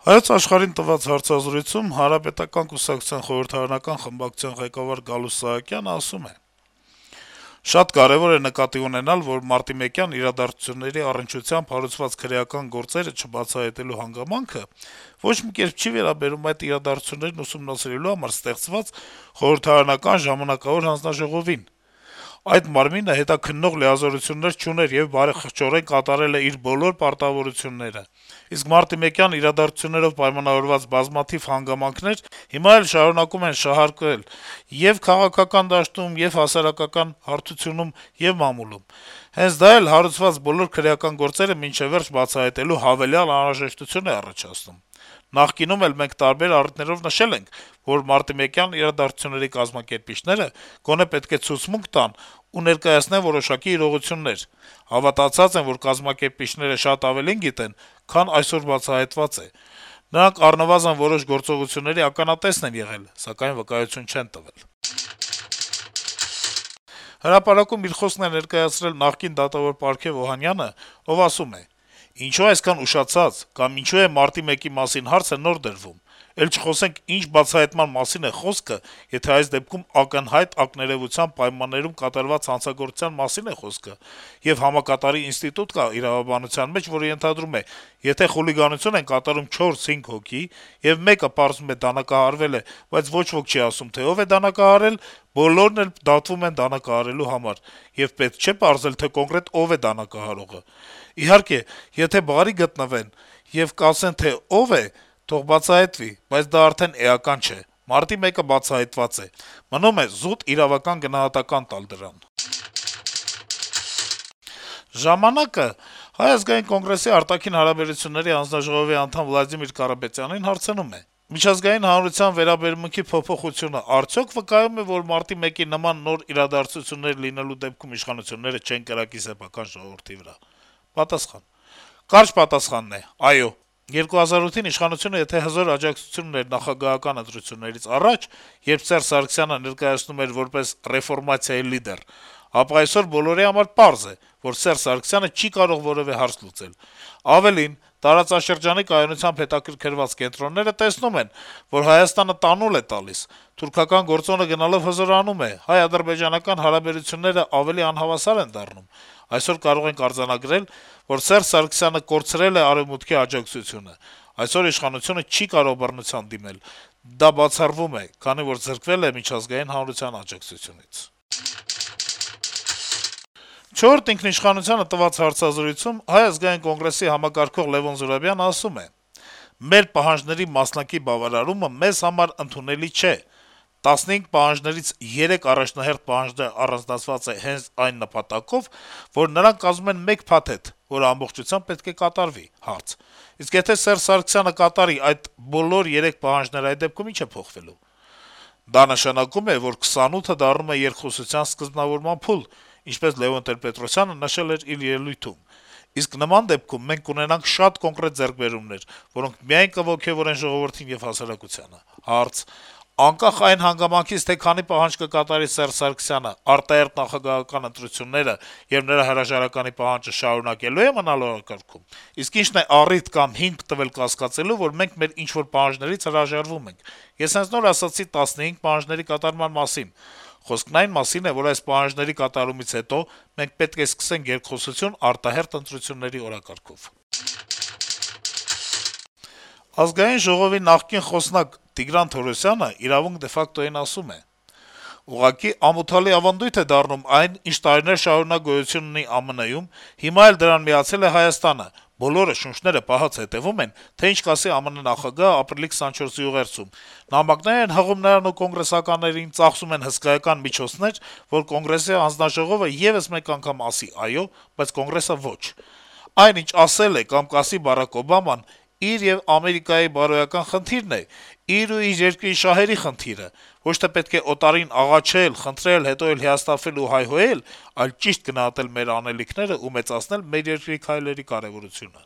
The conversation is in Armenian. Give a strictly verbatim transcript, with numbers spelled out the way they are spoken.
Հայոց Աշխարհին տված հարցազրույցում Հանրապետական կուսակցության խորհրդարանական խմբակցության ղեկավար Գալուստ Սահակյանը ասում է. - «Շատ կարեւոր է նկատի ունենալ, որ մարտի մեկյան իրադարձությունների առնչությամբ հարուցված քրեական գործերը չբացահայտելու հանգամանքը ոչ մի կերպ չի վերաբերում այդ իրադարձություններն ուսումնասիրելու համար ստեղծված խորհրդարանական ժամանակավոր հանձնաժողովին: Այդ մարմինը հետաքննող լիազորություններ չուներ եւ բարեխղճորեն կատարել է իր բոլոր պարտավորությունները: Իսկ մարտի մեկյան իրադարձություններով պայմանավորված բազմաթիվ հանգամանքներ հիմա էլ շարունակում են շահարկվել ե՛ւ քաղաքական դաշտում, ե՛ւ հասարակական հարթությունում եւ մամուլում: Հենց դա էլ հարուցված բոլոր քրեական գործերը մինչեւ վերջ բացահայտելու հավելյալ անհրաժեշտություն է առաջացնում: Նախկինում էլ մենք տարբեր առիթներով նշել ենք, որ մարտի մեկյան իրադարձությունների կազմակերպիչները գոնե պետք է ցուցմունք տան ու ներկայացնեն որոշակի իրողություններ: Հավատացած եմ, որ կազմակերպիչները շատ ավելին գիտեն, քան այսօր բացահայտված է: Նրանք առնվազն որոշ գործողությունների ականատեսն են եղել, սակայն վկայություն չեն տվել»: «Հրապարակ»-ում իր խոսքն է ներկայացրել նախկին դատավոր Պարքեւ Օհանյանը, ով ասում է. - «Ինչո՞ւ այսքան ուշացած, կամ ինչո՞ւ է մարտի մեկի մասին հարցը նոր դրվում: Էլ չխոսենք ինչ բացահայտման մասին է խոսքը, եթե այս դեպքում ակնհայտ ակներեւության պայմաններում կատարված հանցագործության մասին է խոսքը, եւ համակատարի ինստիտուտ կա իրավաբանության մեջ, որը ենթադրում է` եթե խուլիգանություն են կատարում չորս-հինգ հոգի, եւ մեկը պարզվում է դանակահարվել է, բայց ոչ ոք չի ասում, թե ով է դանակահարել, բոլորն էլ դատվում են դանակահարելու համար, եւ պետք չէ պարզել, թե կոնկրետ ով է դանակահարողը: Իհարկե, եթե բարի գտնվեն եւ կասեն, թե ով է, թող բացահայտվի, բայց դա արդեն էական չէ: Մարտի մեկը բացահայտված է: Մնում է զուտ իրավական գնահատական տալ դրան»: «Ժամանակ»-ը Հայ ազգային կոնգրեսի արտաքին հարաբերությունների հանձնաժողովի անդամ Վլադիմիր Կարապետյանին հարցնում է. - «Միջազգային հանրության վերաբերմունքի փոփոխությունը արդյո՞ք վկայում է, որ մարտի մեկի նման նոր իրադարձություններ լինելու դեպքում իշխանությունները չեն կրակի սեփական ժողովրդի վրա»: Պատասխան. - «Կարճ պատասխանն է` այո: երկու հազար ութին իշխանությունը եթե հզոր աջակցություն ուներ նախագահական ընտրություններից առաջ, երբ Սերժ Սարգսյանը ներկայացնում էր որպես ռեֆորմացիայի լիդեր, ապա այսօր բոլորի համար պարզ է, որ Սերժ Սարգսյանը չի կարող որեւէ հարց լուծել: Ավելին, տարածաշրջանի կայունությամբ հետաքրքրված կենտրոնները տեսնում են, որ Հայաստանը տանուլ է տալիս, թուրքական գործոնը գնալով հզորանում է, հայ-ադրբեջանական հարաբերություններն ավելի անհավասար են դառնում: Այսօր կարող ենք արձանագրել, որ Սերժ Սարգսյանը կորցրել է Արեւմուտքի աջակցությունը: Այսօր իշխանությունը չի կարող բռնության դիմել: Դա բացառվում է, քանի որ զրկվել է միջազգային հանրության աջակցությունից»: «Չորրորդ ինքնիշխանությանը» տված հարցազրույցում Հայ ազգային կոնգրեսի համակարգող Լեւոն Զուրաբյանը ասում է. - «Մեր պահանջների մասնակի բավարարումը մեզ համար ընդունելի չէ: տասնհինգ պահանջներից երեք առաջնահերթ պահանջները առանձնացված են հենց այն նպատակով, որ նրանք կազմում են մեկ փաթեթ, որը ամբողջությամբ պետք է կատարվի: Հարց. - Իսկ եթե Սերժ Սարգսյանը կատարի այդ բոլոր երեք պահանջները, այդ դեպքում ի՞նչ է փոխվելու: Դա նշանակում է, որ քսանութը դառնում է երկխոսության սկզբնավորման փուլ, ինչպես Լեւոն Տեր-Պետրոսյանը նշել էր իր ելույթում: Իսկ նման դեպքում մենք կունենանք շատ կոնկրետ ձեռքբերումներ, որոնք միայն կոգեւորեն ժողովրդին եւ հասարակությանը»: Հարց. - «Անկախ այն հանգամանքից, թե քանի պահանջ կկատարի Սերժ Սարգսյանը, արտահերթ նախագահական ընտրությունները եւ նրա հրաժարականի պահանջը շարունակելո՞ւ է մնալ օրակարգում: Իսկ ի՞նչն է առիթ կամ հիմք տվել կասկածելու, որ մենք մեր ինչ-որ պահանջներից հրաժարվում ենք: Ես հենց նոր ասացի տասնհինգ պահանջների կատարման մասին: Խոսքն այն մասին է, որ այս պահանջների կատարումից հետո մենք պետք է սկսենք երկխոսություն արտահերթ ընտրությունների օրակարգով»: Ազգային ժողովի նախկին խոսնակ Տիգրան Թորոսյանը «Իրավունք de facto»-ին ասում է. - «Ուղղակի ամոթալի ավանդույթ է դառնում այն, ինչ տարիներ շարունակ գոյություն ունի է ԱՄՆ-ում, հիմա էլ դրան միացել է Հայաստանը: Բոլորը շունչները պահած հետեւում են, թե ինչ կասի ԱՄՆ նախագահը ապրիլի քսանչորսի ուղերձում: Նամակներ են հղում նրան ու կոնգրեսականներին, ծախսում են հսկայական միջոցներ, որ Կոնգրեսի հանձնաժողովը եւս մեկ անգամ ասի «այո», բայց Կոնգրեսը ոչ: Այն, ինչ ասել է կամ կասի Բարակ Օբաման, իր եւ Ամերիկայի բարոյական խնդիրն է, իր ու իր երկրի շահերի խնդիրը: Ոչ թե պետք է օտարին աղաչել, խնդրել, հետո էլ հիասթափվել ու հայհոյել, այլ ճիշտ գնահատել մեր անելիքներն ու մեծացնել մեր երկրի քայլերի կարեւորությունը»: